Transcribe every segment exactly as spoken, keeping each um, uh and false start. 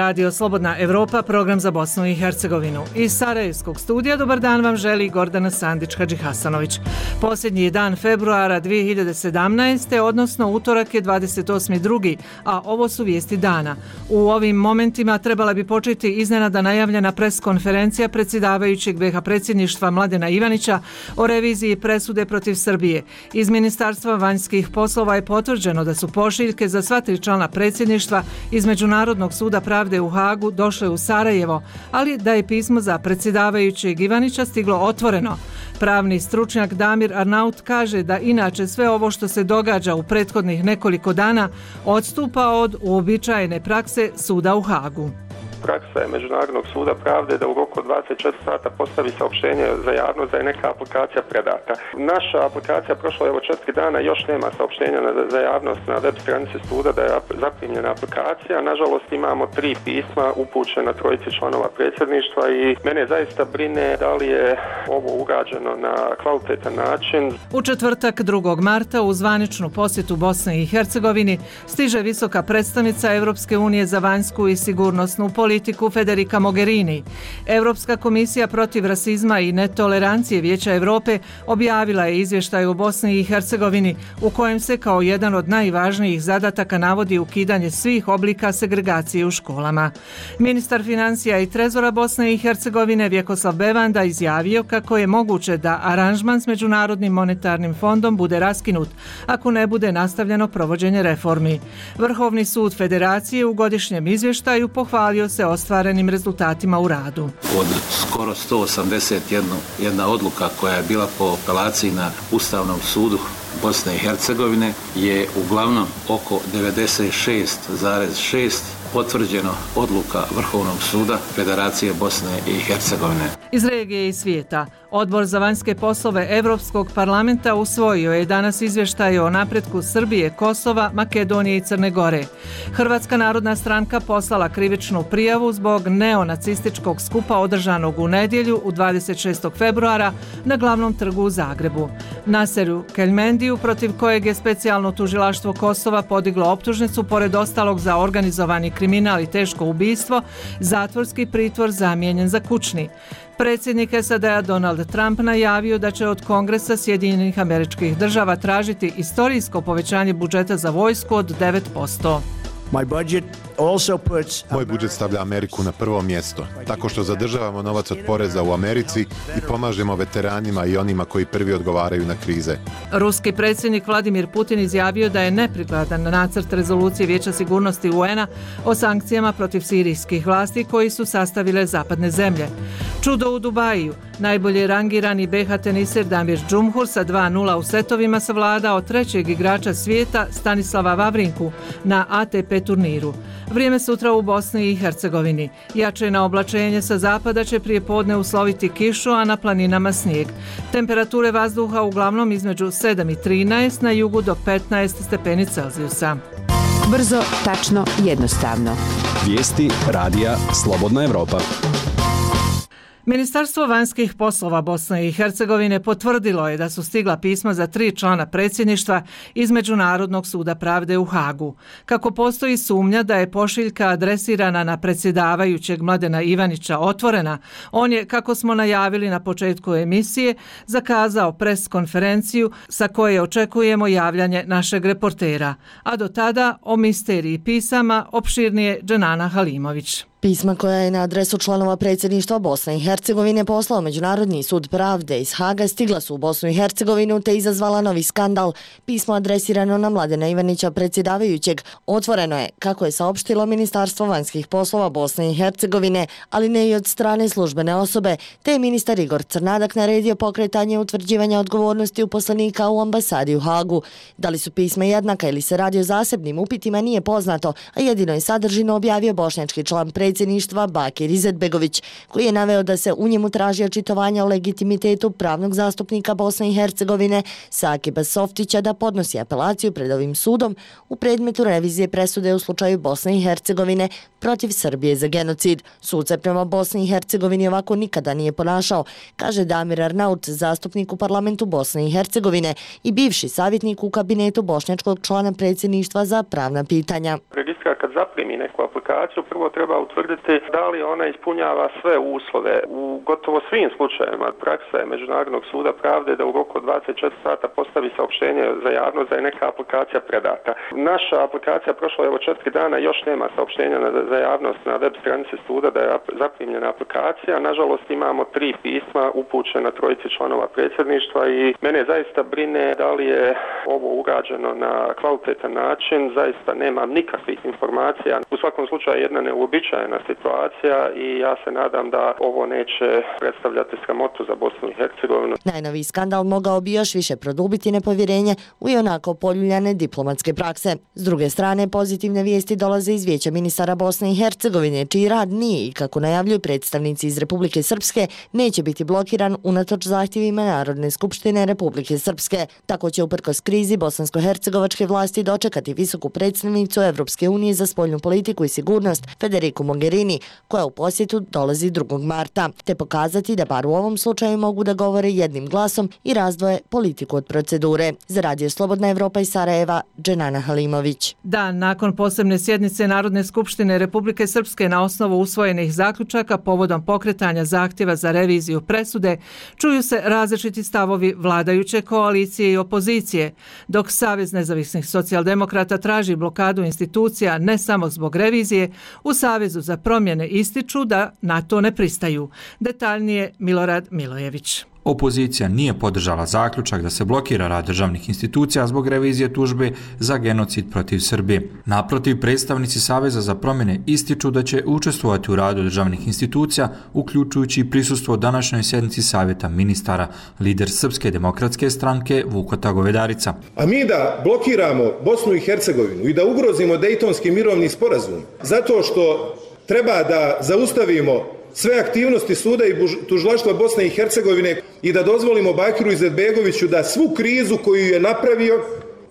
Radio Slobodna Evropa, program za Bosnu i Hercegovinu. Iz Sarajevskog studija dobar dan vam želi Gordana Sandić-Hadžihasanović. Posljednji je dan februara dvije hiljade sedamnaeste. odnosno utorak je dvadeset osmi drugi a ovo su vijesti dana. U ovim momentima trebala bi početi iznenada najavljena preskonferencija predsjedavajućeg be ha predsjedništva Mladena Ivanića o reviziji presude protiv Srbije. Iz Ministarstva vanjskih poslova je potvrđeno da su pošiljke za sva tri člana predsjedništva iz Međunarodnog suda pravde u Hagu došle u Sarajevo, ali da je pismo za predsjedavajućeg Ivanića stiglo otvoreno. Pravni stručnjak Damir Arnaut kaže da inače sve ovo što se događa u prethodnih nekoliko dana odstupa od uobičajene prakse suda u Hagu. Praksa je Međunarodnog suda pravde da u roku od dvadeset četiri sata postavi saopštenje za javnost da je neka aplikacija predata. Naša aplikacija prošla je evo četiri dana, još nema saopštenja za javnost na web stranici suda da je zaprimljena aplikacija. Nažalost imamo tri pisma upućena trojici članova predsjedništva i mene zaista brine da li je ovo urađeno na kvalitetan način. U četvrtak drugog marta u zvaničnu posjetu Bosne i Hercegovini stiže visoka predstavnica Europske unije za vanjsku i sigurnosnu politiku politiku Federica Mogherini. Europska komisija protiv rasizma i netolerancije Vijeća Europe objavila je izvještaj o Bosni i Hercegovini u kojem se kao jedan od najvažnijih zadataka navodi ukidanje svih oblika segregacije u školama. Ministar financija i trezora Bosne i Hercegovine Vjekoslav Bevanda izjavio kako je moguće da aranžman s Međunarodnim monetarnim fondom bude raskinut ako ne bude nastavljeno provođenje reformi. Vrhovni sud Federacije u godišnjem izvještaju pohvalio se ostvarenim rezultatima u radu. Od skoro sto osamdeset jedna odluka koja je bila po apelaciji na Ustavnom sudu Bosne i Hercegovine je uglavnom oko devedeset šest zarez šest potvrđeno odluka Vrhovnog suda Federacije Bosne i Hercegovine. Iz regije i svijeta, Odbor za vanjske poslove Europskog parlamenta usvojio je danas izvještaj o napretku Srbije, Kosova, Makedonije i Crne Gore. Hrvatska narodna stranka poslala krivičnu prijavu zbog neonacističkog skupa održanog u nedjelju u dvadeset šestog februara na glavnom trgu u Zagrebu. Naseru Keljmendiju, protiv kojeg je specijalno tužilaštvo Kosova podiglo optužnicu pored ostalog za organizovani kriminal i teško ubistvo, zatvorski pritvor zamijenjen za kućni. Predsjednik es a de a Donald Trump najavio da će od Kongresa Sjedinjenih Američkih Država tražiti istorijsko povećanje budžeta za vojsku od devet posto. Moj budžet stavlja Ameriku na prvo mjesto, tako što zadržavamo novac od poreza u Americi i pomažemo veteranima i onima koji prvi odgovaraju na krize. Ruski predsjednik Vladimir Putin izjavio da je neprikladan nacrt rezolucije Vijeća sigurnosti u en a o sankcijama protiv sirijskih vlasti koji su sastavile zapadne zemlje. Čudo u Dubaju. Najbolje rangirani be ha teniser Damir Džumhur sa dva nula u setovima savladao trećeg igrača svijeta Stanislava Vavrinku na a te pe turniru. Vrijeme sutra u Bosni i Hercegovini. Jačina oblačenje sa zapada će prije podne usloviti kišu, a na planinama snijeg. Temperature vazduha uglavnom između sedam i trinaest, na jugu do petnaest stepeni Celzijusa. Brzo, tačno, jednostavno. Vijesti radija Slobodna Evropa. Ministarstvo vanjskih poslova Bosne i Hercegovine potvrdilo je da su stigla pisma za tri člana predsjedništva iz Međunarodnog suda pravde u Hagu. Kako postoji sumnja da je pošiljka adresirana na predsjedavajućeg Mladena Ivanića otvorena, on je, kako smo najavili na početku emisije, zakazao pres konferenciju sa koje očekujemo javljanje našeg reportera. A do tada o misteriji pisama opširnije Dženana Halimović. Pisma koja je na adresu članova predsjedništva Bosne i Hercegovine poslao Međunarodni sud pravde iz Haga stigla su u Bosnu i Hercegovinu te izazvala novi skandal. Pismo adresirano na Mladena Ivanića predsjedavajućeg otvoreno je, kako je saopštilo Ministarstvo vanjskih poslova Bosne i Hercegovine, ali ne i od strane službene osobe, te je ministar Igor Crnadak naredio pokretanje utvrđivanja odgovornosti uposlenika u ambasadi u Hagu. Da li su pisma jednaka ili se radi o zasebnim upitima nije poznato, a jedino je sadržino objavio bošnjački član predsjedništva predsjedništva Bakir Izetbegović, koji je naveo da se u njemu traži očitovanje o legitimitetu pravnog zastupnika Bosne i Hercegovine Sakiba Softića da podnosi apelaciju pred ovim sudom u predmetu revizije presude u slučaju Bosne i Hercegovine protiv Srbije za genocid. Sud se prema Bosni i Hercegovini ovako nikada nije ponašao, kaže Damir Arnaut, zastupnik u parlamentu Bosne i Hercegovine i bivši savjetnik u kabinetu bošnjačkog člana predsjedništva za pravna pitanja. politika kad zaprimi neku aplikaciju prvo treba utvrditi da li ona ispunjava sve uslove. U gotovo svim slučajevima praksa je Međunarodnog suda pravde da u roku od dvadeset četiri sata postavi saopštenje za javnost da je neka aplikacija predata. Naša aplikacija prošla evo četiri dana, još nema saopštenja za javnost na web stranici suda da je zaprimljena aplikacija. Nažalost imamo tri pisma upućena trojici članova predsjedništva i mene zaista brine da li je ovo urađeno na kvalitetan način. Zaista nemam nikakvih informacija. U svakom slučaju jedna neuobičajena situacija i ja se nadam da ovo neće predstavljati sramotu za Bosnu i Hercegovinu. Najnoviji skandal mogao bi još više produbiti nepovjerenje u ionako poljuljane diplomatske prakse. S druge strane, pozitivne vijesti dolaze iz Vijeća ministara Bosne i Hercegovine, čiji rad nije i, kako najavljuju predstavnici iz Republike Srpske, neće biti blokiran unatoč zahtjevima Narodne skupštine Republike Srpske. Tako će uprkos krizi bosansko-hercegovačke vlasti dočekati visoku predstavnicu Evropske unije za spoljnu politiku i sigurnost Federiku Mogherini, koja u posjetu dolazi drugog marta, te pokazati da bar u ovom slučaju mogu da govore jednim glasom i razdvoje politiku od procedure. Za Radio Slobodna Evropa iz Sarajeva, Dženana Halimović. Dan nakon posebne sjednice Narodne skupštine Republike Srpske na osnovu usvojenih zaključaka povodom pokretanja zahtjeva za reviziju presude, čuju se različiti stavovi vladajuće koalicije i opozicije, dok Savez nezavisnih socijaldemokrata traži blokadu institucija ne samo zbog revizije, u Savezu za promjene ističu da na to ne pristaju. Detaljnije Milorad Milojević. Opozicija nije podržala zaključak da se blokira rad državnih institucija zbog revizije tužbe za genocid protiv Srbije. Naprotiv, predstavnici Saveza za promjene ističu da će učestvovati u radu državnih institucija, uključujući i prisustvo današnjoj sjednici Savjeta ministara, lider Srpske demokratske stranke Vukota Govedarica. A mi da blokiramo Bosnu i Hercegovinu i da ugrozimo Dejtonski mirovni sporazum zato što treba da zaustavimo sve aktivnosti suda i tužilaštva Bosne i Hercegovine i da dozvolimo Bakiru Izetbegoviću da svu krizu koju je napravio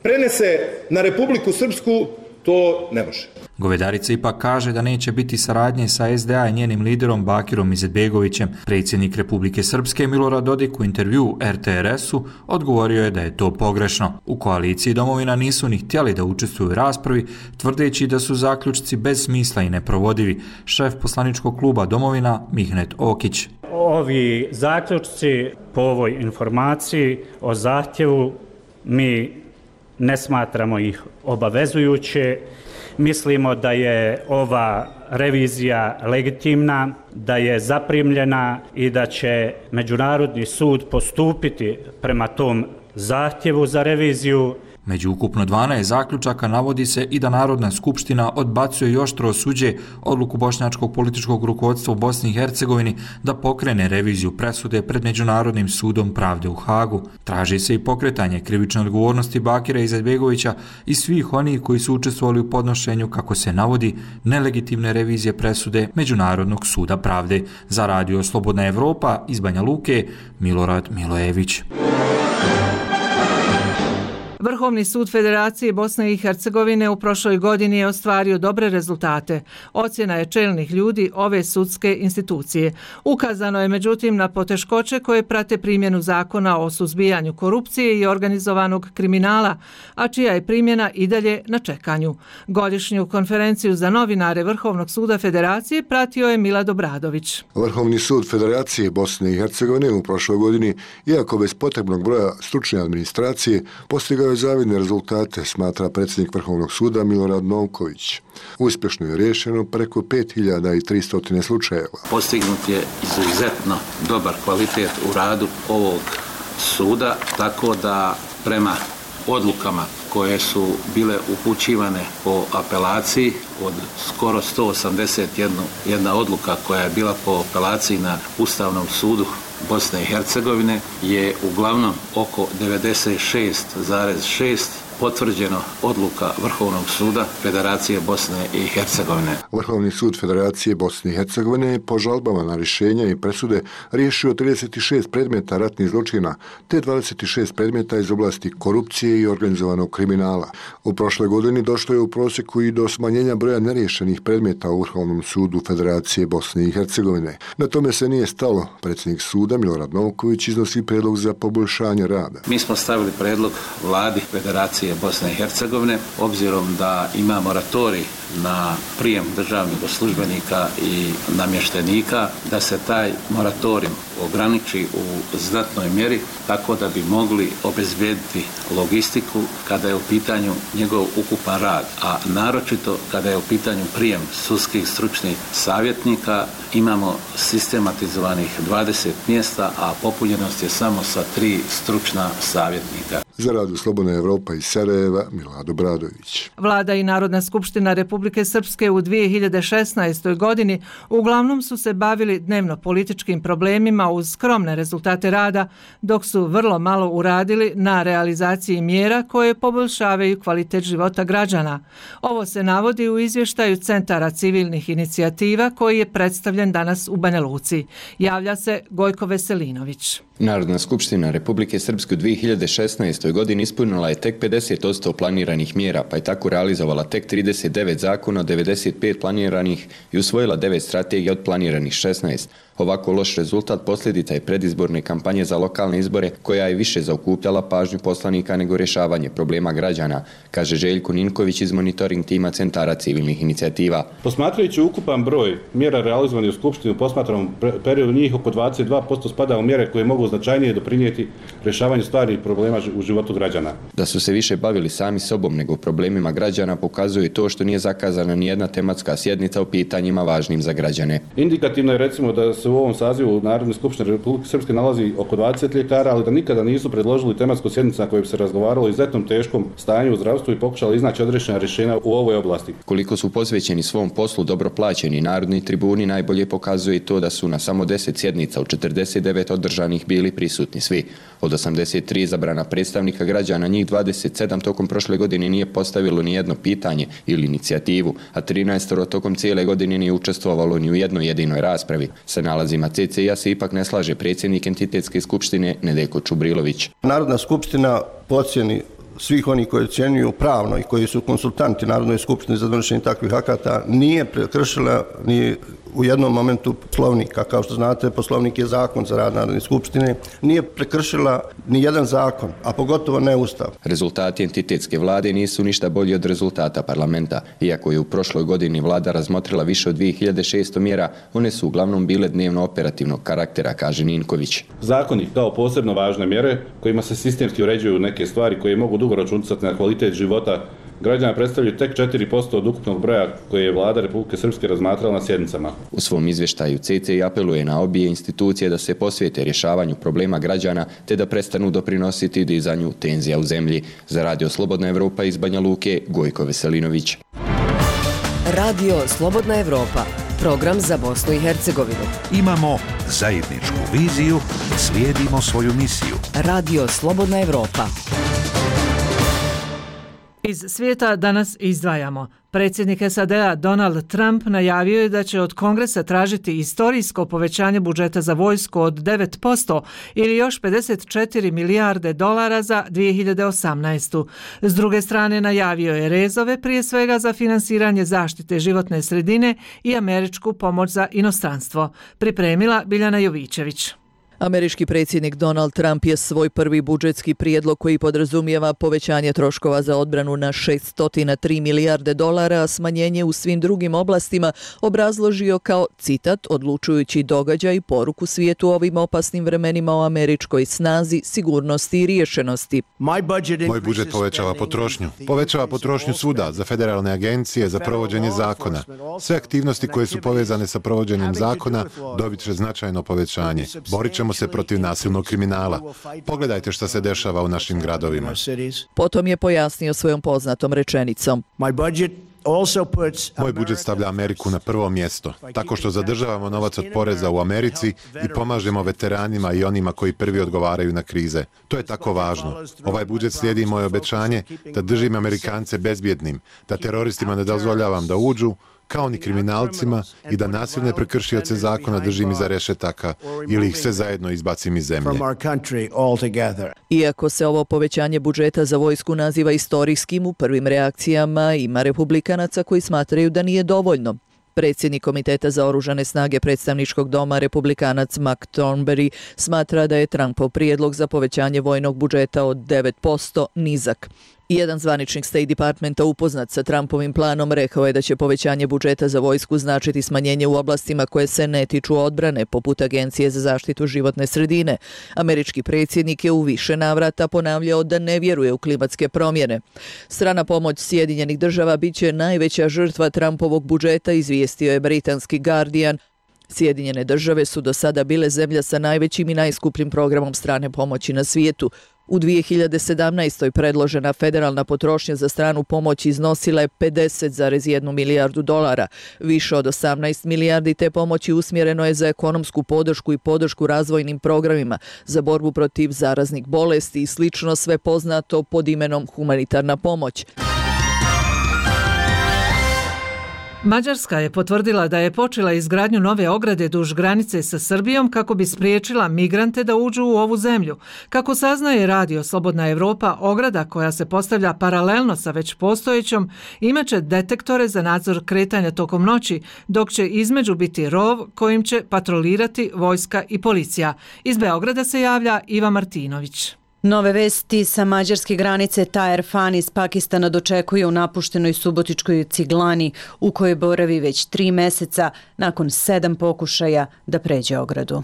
prenese na Republiku Srpsku, to ne može. Govedarica ipak kaže da neće biti saradnje sa es de a i njenim liderom Bakirom Izetbegovićem. Predsjednik Republike Srpske Milorad Dodik u intervju er te er esu odgovorio je da je to pogrešno. U koaliciji Domovina nisu ni htjeli da učestvuju u raspravi, tvrdeći da su zaključci bez smisla i neprovodivi. Šef poslaničkog kluba Domovina Mihnet Okić. Ovi zaključci po ovoj informaciji o zahtjevu mi ne smatramo ih obavezujuće. Mislimo da je ova revizija legitimna, da je zaprimljena i da će Međunarodni sud postupiti prema tom zahtjevu za reviziju. Među ukupno dvanaest zaključaka navodi se i da Narodna skupština odbacuje i oštro osuđuje odluku bošnjačkog političkog rukovodstva u Bosni i Hercegovini da pokrene reviziju presude pred Međunarodnim sudom pravde u Hagu. Traži se i pokretanje krivične odgovornosti Bakira Izetbegovića i svih onih koji su učestvovali u podnošenju, kako se navodi, nelegitimne revizije presude Međunarodnog suda pravde. Za Radio Slobodna Evropa iz Banja Luke, Milorad Milojević. Vrhovni sud Federacije Bosne i Hercegovine u prošloj godini je ostvario dobre rezultate. Ocjena je čelnih ljudi ove sudske institucije. Ukazano je međutim na poteškoće koje prate primjenu zakona o suzbijanju korupcije i organizovanog kriminala, a čija je primjena i dalje na čekanju. Godišnju konferenciju za novinare Vrhovnog suda Federacije pratio je Milad Obradović. Vrhovni sud Federacije Bosne i Hercegovine u prošloj godini, iako bez potrebnog broja stručne administracije, postigao je zavidne rezultate, smatra predsjednik Vrhovnog suda Milorad Novković. Uspješno je riješeno preko pet hiljada tristo slučajeva. Postignut je izuzetno dobar kvalitet u radu ovog suda, tako da prema odlukama koje su bile upućivane po apelaciji, od skoro sto osamdeset jedna odluka koja je bila po apelaciji na Ustavnom sudu Bosne i Hercegovine, je uglavnom oko devedeset šest zarez šest potvrđeno odluka Vrhovnog suda Federacije Bosne i Hercegovine. Vrhovni sud Federacije Bosne i Hercegovine je po žalbama na rješenja i presude riješio trideset šest predmeta ratnih zločina te dvadeset šest predmeta iz oblasti korupcije i organizovanog kriminala. U prošloj godini došlo je u prosjeku i do smanjenja broja neriješenih predmeta u Vrhovnom sudu Federacije Bosne i Hercegovine. Na tome se nije stalo. Predsjednik suda Milorad Novković iznosi prijedlog za poboljšanje rada. Mi smo stavili prijedlog vladi Federacije policije Bosne i Hercegovine, obzirom da ima moratorij na prijem državnih službenika i namještenika, da se taj moratorij ograniči u znatnoj mjeri tako da bi mogli obezbijediti logistiku kada je u pitanju njegov ukupan rad, a naročito kada je u pitanju prijem sudskih stručnih savjetnika. Imamo sistematizovanih dvadeset mjesta, a popunjenost je samo sa tri stručna savjetnika. Za Radio Slobodna Evropa iz Sarajeva, Milado Bradović. Vlada i Narodna skupština Republike Srpske u dvije hiljade šesnaestoj. godini uglavnom su se bavili dnevno političkim problemima uz skromne rezultate rada, dok su vrlo malo uradili na realizaciji mjera koje poboljšavaju kvalitet života građana. Ovo se navodi u izvještaju Centara civilnih inicijativa koji je predstavljen danas u Banja Luci. Javlja se Gojko Veselinović. Narodna skupština Republike Srpske u dvije hiljade šesnaestoj. godini ispunila je tek pedeset posto planiranih mjera, pa je tako realizovala tek trideset devet zakona od devedeset pet planiranih i usvojila devet strategija od planiranih šesnaest. Ovako loš rezultat posljedica je predizborne kampanje za lokalne izbore koja je više zaokupljala pažnju poslanika nego rješavanje problema građana, kaže Željko Ninković iz monitoring tima Centara civilnih inicijativa. Posmatrajući ukupan broj mjera realizovanih u Skupštini u posmatranom periodu, njih oko dvadeset dva posto spada u mjere koje mogu značajnije doprinijeti rješavanju stvarnih problema u životu građana. Da su se više bavili sami sobom nego problemima građana pokazuje to što nije zakazana ni jedna tematska sjednica o pitanjima važnim za građane. Indikativno je recimo da se u ovom sazivu Narodne skupštine Republike Srpske nalazi oko dvadeset ljekara, ali da nikada nisu predložili tematsku sjednicu na kojoj bi se razgovaralo o izuzetnom teškom stanju u zdravstvu i pokušali iznaći odrešena rješenja u ovoj oblasti. Koliko su posvećeni svom poslu dobro plaćeni narodni tribuni najbolje pokazuje to da su na samo deset sjednica u četrdeset devet održanih bili prisutni svi. Od osamdeset tri izabrana predstavnika građana, njih dvadeset sedam tokom prošle godine nije postavilo ni jedno pitanje ili inicijativu, a trinaest tokom cijele godine nije učestvovalo ni u jednoj jedinoj raspravi. Sa nalazima C C I-a se ipak ne slaže predsjednik entitetske skupštine Nedeljko Čubrilović. Narodna skupština po ocjeni svih oni koji ocjenjuju pravno i koji su konsultanti Narodnoj skupštini za donošenje takvih akata nije prekršila ni u jednom momentu poslovnika. Kao što znate, poslovnik je zakon za rad Narodne skupštine. Nije prekršila ni jedan zakon, a pogotovo ne Ustav. Rezultati entitetske vlade nisu ništa bolji od rezultata parlamenta. Iako je u prošloj godini vlada razmotrila više od dvije hiljade šesto mjera, one su uglavnom bile dnevno operativnog karaktera, kaže Ninković. Zakoni kao posebno važne mjere kojima se sistemski uređuju neke stvari koje mogu dugoročno utjecati na kvalitet života građana predstavljaju tek četiri posto od ukupnog broja koje je vlada Republike Srpske razmatrala na sjednicama. U svom izvještaju C C I apeluje na obje institucije da se posvijete rješavanju problema građana te da prestanu doprinositi dizanju tenzija u zemlji. Za Radio Slobodna Evropa iz Banja Luke, Gojko Veselinović. Radio Slobodna Evropa, program za Bosnu i Hercegovinu. Imamo zajedničku viziju, slijedimo svoju misiju. Radio Slobodna Evropa. Iz svijeta danas izdvajamo. Predsjednik S A D-a Donald Trump najavio je da će od Kongresa tražiti istorijsko povećanje budžeta za vojsku od devet posto ili još pedeset četiri milijarde dolara za dvije hiljade osamnaestu. S druge strane najavio je rezove prije svega za finansiranje zaštite životne sredine i američku pomoć za inostranstvo. Pripremila Biljana Jovićević. Američki predsjednik Donald Trump je svoj prvi budžetski prijedlog koji podrazumijeva povećanje troškova za odbranu na šesto tri milijarde dolara, a smanjenje u svim drugim oblastima obrazložio kao, citat, odlučujući događaj i poruku svijetu ovim opasnim vremenima o američkoj snazi, sigurnosti i riješenosti. Moj budžet povećava potrošnju. Povećava potrošnju svuda, za federalne agencije, za provođenje zakona. Sve aktivnosti koje su povezane sa provođenjem zakona dobit će značajno povećanje. Borit ćemo se protiv nasilnog kriminala. Pogledajte šta se dešava u našim gradovima. Potom je pojasnio svojom poznatom rečenicom. Moj budžet stavlja Ameriku na prvo mjesto, tako što zadržavamo novac od poreza u Americi i pomažemo veteranima i onima koji prvi odgovaraju na krize. To je tako važno. Ovaj budžet slijedi moje obećanje da držim Amerikance bezbjednim, da teroristima ne dozvoljavam da uđu, kao ni kriminalcima, i da nasilne prekršioce zakona držim iza rešetaka ili ih sve zajedno izbacim iz zemlje. Iako se ovo povećanje budžeta za vojsku naziva istorijskim, u prvim reakcijama ima republikanaca koji smatraju da nije dovoljno. Predsjednik Komiteta za oružane snage predstavničkog doma, republikanac Mac Thornberry, smatra da je Trumpov prijedlog za povećanje vojnog budžeta od devet posto nizak. Jedan zvaničnik State Departmenta upoznat sa Trumpovim planom rekao je da će povećanje budžeta za vojsku značiti smanjenje u oblastima koje se ne tiču odbrane, poput Agencije za zaštitu životne sredine. Američki predsjednik je u više navrata ponavljao da ne vjeruje u klimatske promjene. Strana pomoć Sjedinjenih država bit će najveća žrtva Trumpovog budžeta, izvijestio je britanski Guardian. Sjedinjene države su do sada bile zemlja sa najvećim i najskupljim programom strane pomoći na svijetu. U dvije hiljade sedamnaestoj predložena federalna potrošnja za stranu pomoć iznosila je pedeset zarez jednu milijardu dolara. Više od osamnaest milijardi te pomoći usmjereno je za ekonomsku podršku i podršku razvojnim programima, za borbu protiv zaraznih bolesti i slično, sve poznato pod imenom humanitarna pomoć. Mađarska je potvrdila da je počela izgradnju nove ograde duž granice sa Srbijom kako bi spriječila migrante da uđu u ovu zemlju. Kako saznaje radio Slobodna Evropa, ograda koja se postavlja paralelno sa već postojećom imaće detektore za nadzor kretanja tokom noći, dok će između biti rov kojim će patrolirati vojska i policija. Iz Beograda se javlja Iva Martinović. Nove vesti sa mađarske granice Taher Fan iz Pakistana dočekuje u napuštenoj subotičkoj Ciglani u kojoj boravi već tri meseca nakon sedam pokušaja da pređe ogradu.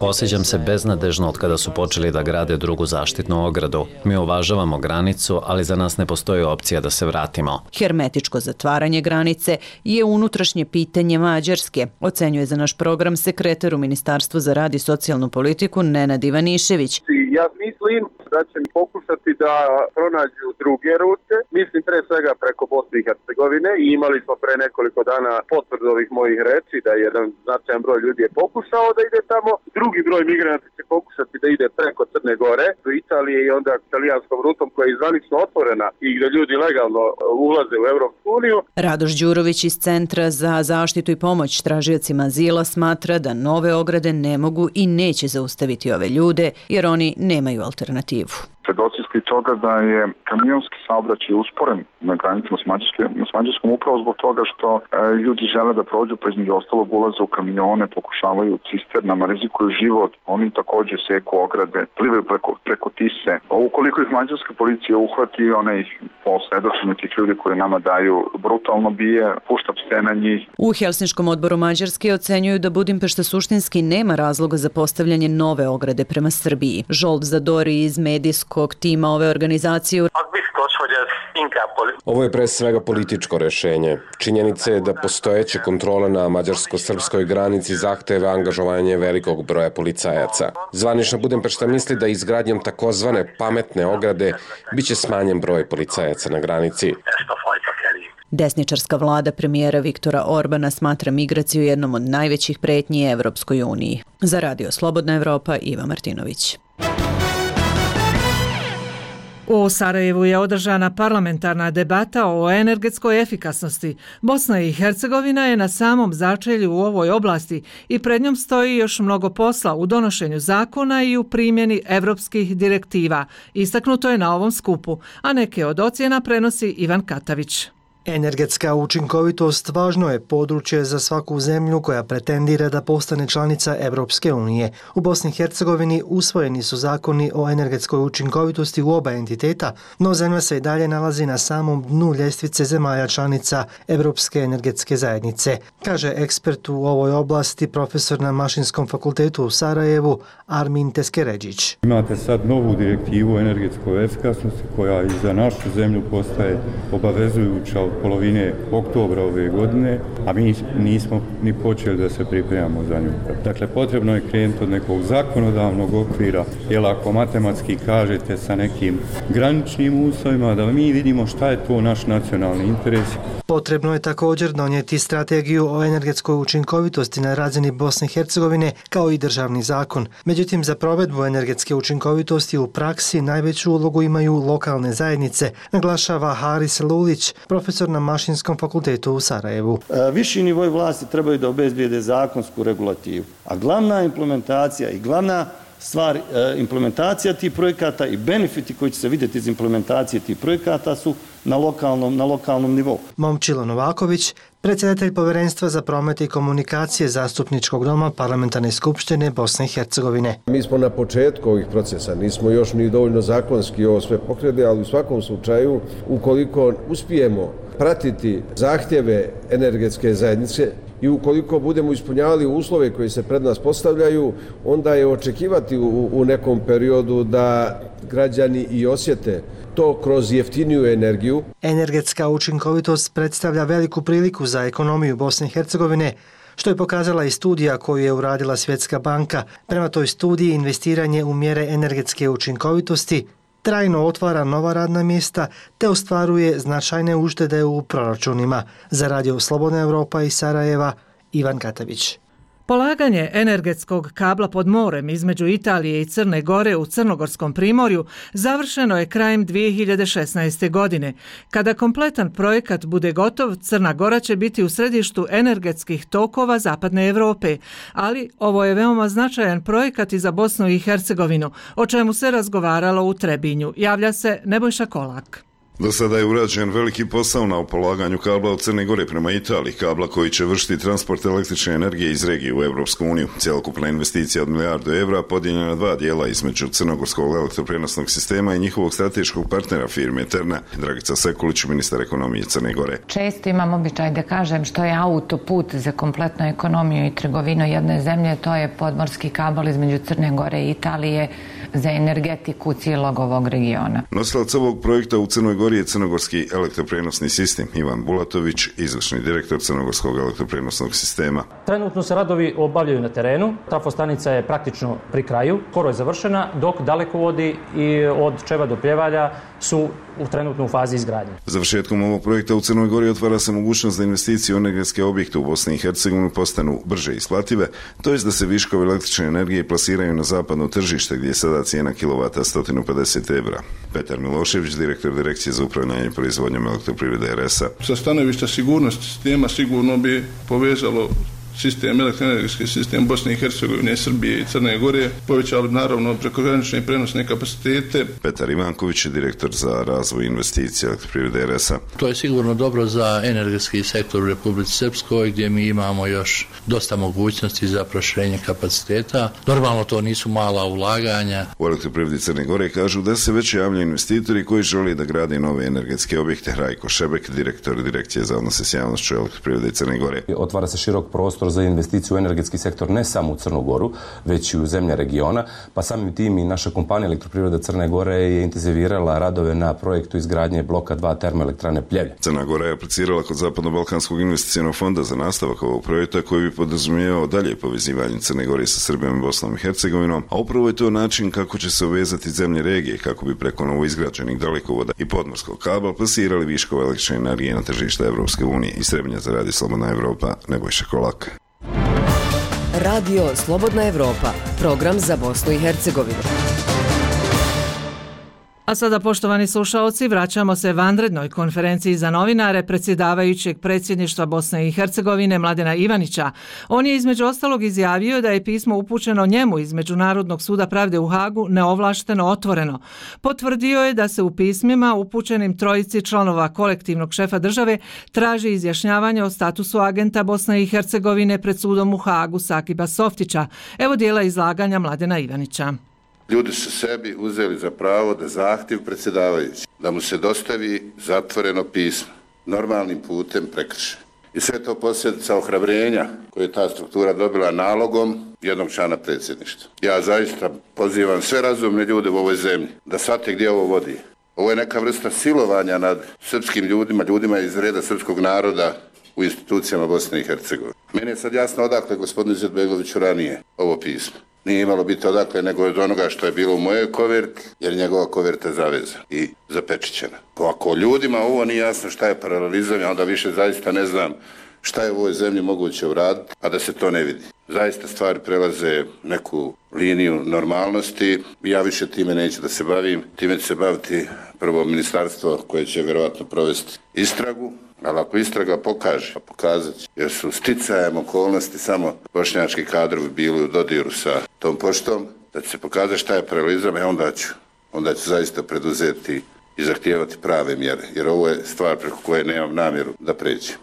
Osjećam se beznadežno od kada su počeli da grade drugu zaštitnu ogradu. Mi uvažavamo granicu, ali za nas ne postoji opcija da se vratimo. Hermetičko zatvaranje granice je unutrašnje pitanje Mađarske, ocenjuje za naš program sekretar u Ministarstvu za rad i socijalnu politiku Nenad Ivanišević. Ja mislim da će pokušati da pronađu druge rute, mislim pre svega preko Bosne i Hercegovine, i imali smo pre nekoliko dana potvrdu ovih mojih reči da jedan značajan broj ljudi je pokušao da ide tamo, drugi broj migranata će pokušati da ide preko Crne Gore do Italije i onda italijanskom rutom koja je zvanično otvorena i gdje ljudi legalno ulaze u Evropsku uniju. Radoš Đurović iz Centra za zaštitu i pomoć tražiocima azila smatra da nove ograde ne mogu i neće zaustaviti ove ljude jer oni nemaju alternativu. Svedoci ste toga da je kamionski saobraćaj usporen na granicama s Mađarskom upravo zbog toga što e, ljudi žele da prođu, pa između ostalog ulaze u kamione, pokušavaju cisternama, rizikuju život, oni također seku ograde, plivaju preko, preko Tise. Ukoliko ih mađarska policija uhvati, ona ih po svedočenju tih ljudi koji nama daju brutalno bije, pušta pse na njih. U Helsinškom odboru Mađarske ocenjuju da Budimpešta suštinski nema razloga za postavljanje nove ograde prema Srbiji. Žolt Zadori iz medijskog tima ove organizacije. Ovo je pre svega političko rešenje. Činjenica je da postojeće kontrole na mađarsko-srpskoj granici zahteve angažovanje velikog broja policajaca. Zvanična Budimpešta misli da izgradnjom takozvane pametne ograde biće smanjen broj policajaca na granici. Desničarska vlada premijera Viktora Orbana smatra migraciju jednom od najvećih pretnji Evropskoj uniji. Za Radio Slobodna Evropa, Iva Martinović. U Sarajevu je održana parlamentarna debata o energetskoj efikasnosti. Bosna i Hercegovina je na samom začelju u ovoj oblasti i pred njom stoji još mnogo posla u donošenju zakona i u primjeni evropskih direktiva. Istaknuto je na ovom skupu, a neke od ocjena prenosi Ivan Katavić. Energetska učinkovitost važno je područje za svaku zemlju koja pretendira da postane članica Evropske unije. U Bosni i Hercegovini usvojeni su zakoni o energetskoj učinkovitosti u oba entiteta, no zemlja se i dalje nalazi na samom dnu ljestvice zemalja članica Evropske energetske zajednice, kaže ekspert u ovoj oblasti, profesor na Mašinskom fakultetu u Sarajevu, Armin Teskeređić. Imate sad novu direktivu o energetskoj efikasnosti koja i za našu zemlju postaje obavezujuća od polovine oktobra ove godine, a mi nismo ni počeli da se pripremamo za nju. Dakle, potrebno je krenuti od nekog zakonodavnog okvira, jer ako matematski kažete sa nekim graničnim uslovima, da mi vidimo šta je to naš nacionalni interes. Potrebno je također donijeti strategiju o energetskoj učinkovitosti na razini Bosne i Hercegovine kao i državni zakon. Međutim, za provedbu energetske učinkovitosti u praksi najveću ulogu imaju lokalne zajednice, naglašava Haris Lulić, profesor na Mašinskom fakultetu u Sarajevu. Viši nivoj vlasti trebaju da obezbijede zakonsku regulativu, a glavna implementacija i glavna stvar, implementacija tih projekata i benefiti koji će se vidjeti iz implementacije tih projekata su na lokalnom, na lokalnom nivou. Momčilo Novaković, predsjedatelj Povjerenstva za promet i komunikacije Zastupničkog doma Parlamentarne skupštine Bosne i Hercegovine. Mi smo na početku ovih procesa, nismo još ni dovoljno zakonski ovo sve pokrenuli, ali u svakom slučaju, ukoliko uspijemo pratiti zahtjeve energetske zajednice i ukoliko budemo ispunjavali uslove koji se pred nas postavljaju, onda je očekivati u, u nekom periodu da građani i osjete to kroz jeftiniju energiju. Energetska učinkovitost predstavlja veliku priliku za ekonomiju Bosne i Hercegovine, što je pokazala i studija koju je uradila Svjetska banka. Prema toj studiji investiranje u mjere energetske učinkovitosti trajno otvara nova radna mjesta te ostvaruje značajne uštede u proračunima. Za Radio Slobodna Evropa iz Sarajeva, Ivan Katavić. Polaganje energetskog kabla pod morem između Italije i Crne Gore u Crnogorskom primorju završeno je krajem dvije hiljade šesnaeste. godine. Kada kompletan projekat bude gotov, Crna Gora će biti u središtu energetskih tokova Zapadne Europe, ali ovo je veoma značajan projekat i za Bosnu i Hercegovinu, o čemu se razgovaralo u Trebinju. Javlja se Nebojša Kolak. Do sada je urađen veliki posao na polaganju kabla od Crne Gore prema Italiji, kabla koji će vršiti transport električne energije iz regije u Evropsku uniju. Cjelokupna investicija od milijardu evra podijeljena na dva dijela između Crnogorskog elektroprenosnog sistema i njihovog strateškog partnera firme Terna. Dragica Sekulić, ministar ekonomije Crne Gore. Često imam običaj da kažem što je autoput za kompletnu ekonomiju i trgovinu jedne zemlje, to je podmorski kabel između Crne Gore i Italije za energetiku cijelog ovog regiona. Nosilac ovog projekta u Crnoj Gori je Crnogorski elektroprenosni sistem. Ivan Bulatović, izvršni direktor Crnogorskog elektroprenosnog sistema. Trenutno se radovi obavljaju na terenu. Trafostanica je praktično pri kraju, skoro je završena, dok dalekovodi i od Čeva do Pljevalja su u trenutnu fazi izgradnje. Završetkom ovog projekta u Crnoj Gori otvara se mogućnost da investicije u energetske objekte u Bosni i Hercegovini postanu brže isplative, to jest da se viškovi električne energije plasiraju na zapadno tržište gdje je sada cijena kilovata sto pedeset evra. Petar Milošević, direktor Direkcije za upravljanje proizvodnjom elektroprivrede R S A. Sa stanovišta sigurnosti sistema sigurno bi povezalo sistem, elektroenergetski sistem Bosne i Hercegovine, Srbije i Crne Gore, povećali naravno prekogranične i prenosne kapacitete. Petar Ivanković je direktor za razvoj investicija elektroprivrede R S A. To je sigurno dobro za energetski sektor u Republici Srpskoj, gdje mi imamo još dosta mogućnosti za proširenje kapaciteta. Normalno to nisu mala ulaganja. U elektroprivredi Crne Gore kažu da se već javljaju investitori koji žele da grade nove energetske objekte. Rajko Šebek, direktor Direkcije za odnose s javnošću elektroprivrede Crne Gore. Otvara se širok prostor za investiciju u energetski sektor ne samo u Crnu Goru, već i u zemlje regiona, pa samim tim i naša kompanija Elektroprivreda Crne Gore je intenzivirala radove na projektu izgradnje bloka dva termoelektrane Pljevlje. Crna Gora je aplicirala kod Zapadno-Balkanskog investicionog fonda za nastavak ovog projekta koji bi podrazumijevao dalje povezivanje Crne Gore sa Srbijom i Bosnom i Hercegovinom, a upravo je to način kako će se uvezati zemlje regije kako bi preko novoizgrađenih dalekovoda i podmorskog kabla plasirali viškove električne energije na tržište Evropske unije. Iz Trebinja za Radio Slobodna Evropa, Nebojša Kolak. Radio Slobodna Evropa, program za Bosnu i Hercegovinu. A sada, poštovani slušaoci, vraćamo se vanrednoj konferenciji za novinare predsjedavajućeg predsjedništva Bosne i Hercegovine Mladena Ivanića. On je između ostalog izjavio da je pismo upućeno njemu iz Međunarodnog suda pravde u Hagu neovlašteno otvoreno. Potvrdio je da se u pismima upućenim trojici članova kolektivnog šefa države traži izjašnjavanje o statusu agenta Bosne i Hercegovine pred sudom u Hagu Sakiba Softića. Evo dijela izlaganja Mladena Ivanića. Ljudi su sebi uzeli za pravo da zahtjev predsjedavajući, da mu se dostavi zatvoreno pismo, normalnim putem prekrše. I sve to posljedica ohrabrenja koje je ta struktura dobila nalogom jednog člana predsjedništva. Ja zaista pozivam sve razumne ljude u ovoj zemlji da shvate gdje ovo vodi. Ovo je neka vrsta silovanja nad srpskim ljudima, ljudima iz reda srpskog naroda u institucijama Bosne i Hercegovine. Meni je sad jasno odakle gospodinu Izetbegoviću ranije ovo pismo. Nije imalo biti odakle nego od onoga što je bilo u mojoj koverti, jer njegova koverta je zavezana i zapečićena. Ako ljudima ovo nije jasno šta je paralelizam, onda više zaista ne znam šta je u ovoj zemlji moguće uraditi, a da se to ne vidi. Zaista stvari prelaze neku liniju normalnosti. Ja više time neću da se bavim. Time će se baviti prvo ministarstvo koje će vjerovatno provesti istragu. Ali ako istraga pokaže, a pokazat će, jer su sticajem okolnosti samo bošnjački kadrovi bili u dodiru sa tom poštom, da će se pokazati šta je paralelizam, e onda ću, onda ću zaista preduzeti i zahtijevati prave mjere, jer ovo je stvar preko koje nemam namjeru da pređem.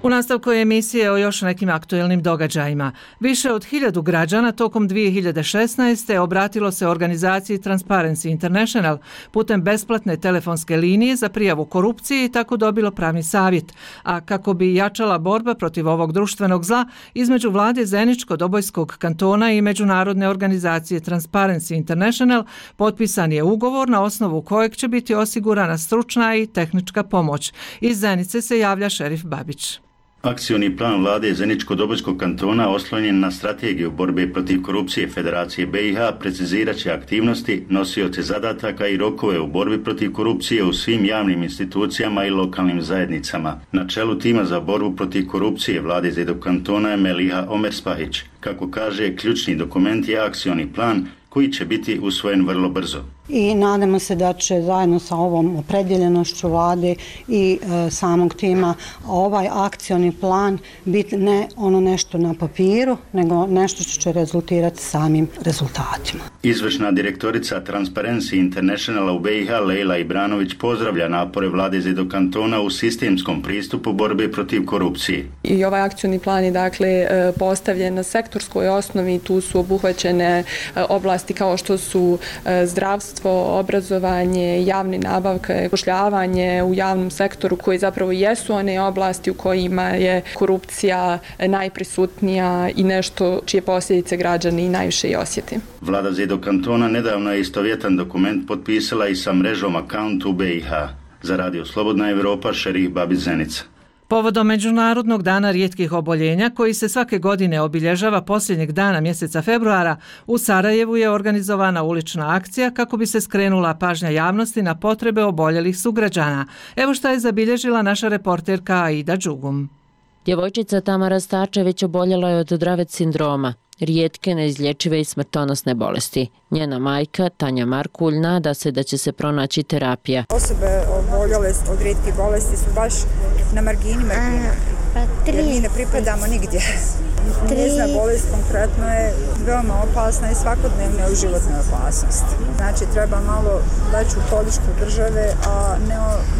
U nastavku je emisije o još nekim aktuelnim događajima. Više od hiljadu građana tokom dvije hiljade šesnaeste. obratilo se organizaciji Transparency International putem besplatne telefonske linije za prijavu korupcije i tako dobilo pravni savjet. A kako bi jačala borba protiv ovog društvenog zla, između vlade Zeničko-Dobojskog kantona i međunarodne organizacije Transparency International potpisan je ugovor na osnovu kojeg će biti osigurana stručna i tehnička pomoć. Iz Zenice se javlja šerif Babić. Akcioni plan vlade Zeničko-Dobojskog kantona oslonjen na strategiju borbe protiv korupcije Federacije B i H precizirat će aktivnosti, nosioce zadataka i rokove u borbi protiv korupcije u svim javnim institucijama i lokalnim zajednicama. Na čelu tima za borbu protiv korupcije vlade Zeničko kantona je Meliha Omerspahić. Kako kaže, ključni dokument je akcioni plan koji će biti usvojen vrlo brzo. I nadamo se da će zajedno sa ovom opredjeljenošću vlade i e, samog tima ovaj akcioni plan biti ne ono nešto na papiru, nego nešto što će rezultirati samim rezultatima. Izvršna direktorica Transparency Internationala u B i H Lejla Ibranović pozdravlja napore vlade Zeničkog kantona u sistemskom pristupu borbe protiv korupcije. I ovaj akcioni plan je dakle postavljen na sektorskoj osnovi, tu su obuhvaćene oblasti kao što su zdravstvo, obrazovanje, javne nabavke, zapošljavanje u javnom sektoru koji zapravo jesu one oblasti u kojima je korupcija najprisutnija i nešto čije posljedice građani najviše i osjeti. Vlada Zeničkog kantona nedavno je istovjetan dokument potpisala i sa mrežom Account u B i H. Za Radio Slobodna Evropa, šerif Babić, Zenica. Povodom Međunarodnog dana rijetkih oboljenja, koji se svake godine obilježava posljednjeg dana mjeseca februara, u Sarajevu je organizovana ulična akcija kako bi se skrenula pažnja javnosti na potrebe oboljelih sugrađana. Evo šta je zabilježila naša reporterka Aida Đugum. Djevojčica Tamara Stačević oboljela je od Dravet sindroma, rijetke, neizlječive i smrtonosne bolesti. Njena majka, Tanja Markulj, nada se da će se pronaći terapija. Osobe oboljele od rijetkih bolesti su baš na margini margine, pa jer mi ne pripadamo nigdje. Njezina bolest konkretno je veoma opasna i svakodnevna je u životnoj opasnosti. Znači treba malo veću podršku države, a ne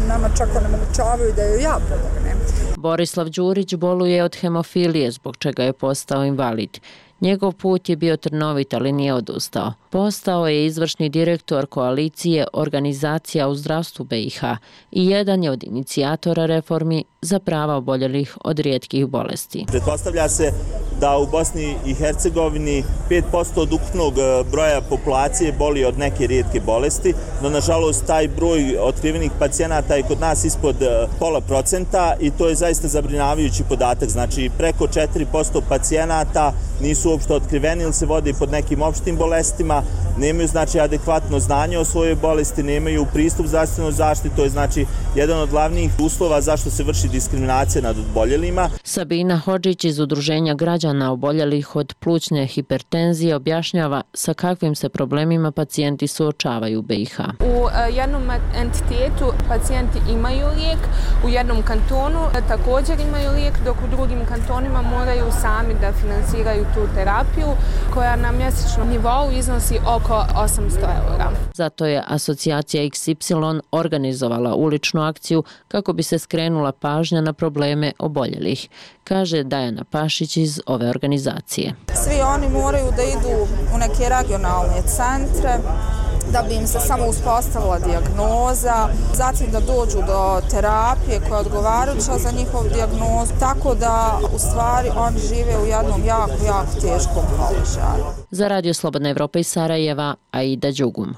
nama čak onemogućavaju da joj ja pomognem. Borislav Đurić boluje od hemofilije, zbog čega je postao invalid. Njegov put je bio trnovit, ali nije odustao. Postao je izvršni direktor koalicije Organizacija u zdravstvu B i H i jedan je od inicijatora reformi za prava oboljelih od rijetkih bolesti. Pretpostavlja se da u Bosni i Hercegovini pet posto od ukupnog broja populacije boli od neke rijetke bolesti, no nažalost taj broj otkrivenih pacijenata je kod nas ispod pola procenta i to je zaista zabrinjavajući podatak. Znači preko četiri posto pacijenata nisu uopšte otkriveni ili se vode pod nekim opštim bolestima, nemaju znači adekvatno znanje o svojoj bolesti, nemaju pristup zdravstvenoj zaštiti, to je znači jedan od glavnih uslova zašto se vrši diskriminacija nad oboljelima. Sabina Hodžić iz Udruženja građana oboljelih od plućne hipertenzije objašnjava sa kakvim se problemima pacijenti suočavaju u B i H. U jednom entitetu pacijenti imaju lijek, u jednom kantonu također imaju lijek, dok u drugim kantonima moraju sami da finansiraju tu terapiju koja na mjesečnom nivou iznosi oko osamsto eura. Zato je asocijacija X Y organizovala uličnu akciju kako bi se skrenula pažnja na probleme oboljelih, kaže Dajana Pašić iz ove organizacije. Svi oni moraju da idu u neke regionalne centre da bi im se samo uspostavila dijagnoza, zatim da dođu do terapije koja je odgovarajuća za njihovu dijagnozu, tako da u stvari oni žive u jednom jako, jako teškom položaju. Za Radio Slobodna Evropa iz Sarajeva, Aida Đugum.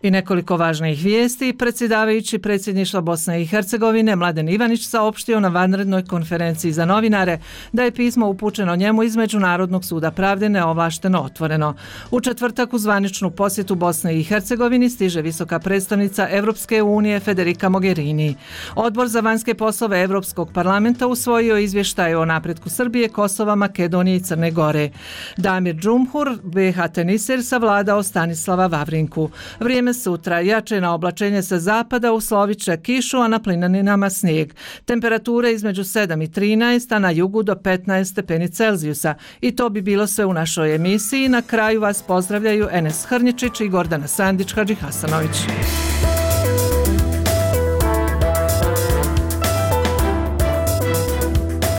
I nekoliko važnih vijesti. Predsjedavajući predsjedništva Bosne i Hercegovine Mladen Ivanić saopštio na vanrednoj konferenciji za novinare da je pismo upućeno njemu iz Međunarodnog suda pravde neovlašteno otvoreno. U četvrtak u zvaničnu posjetu Bosne i Hercegovini stiže visoka predstavnica Evropske unije Federica Mogherini. Odbor za vanjske poslove Evropskog parlamenta usvojio izvještaj o napretku Srbije, Kosova, Makedonije i Crne Gore. Damir Džumhur, B H Teniser, savladao Stanislava Vavrinku. Vrijeme Danas sutra jače na oblačenje sa zapada uslovit će kišu, a na plinaninama snijeg. Temperature između sedam i trinaest, a na jugu do petnaest stepeni Celzijusa. I to bi bilo sve u našoj emisiji. Na kraju vas pozdravljaju Enes Hrnjičić i Gordana Sandić Hadžihasanović.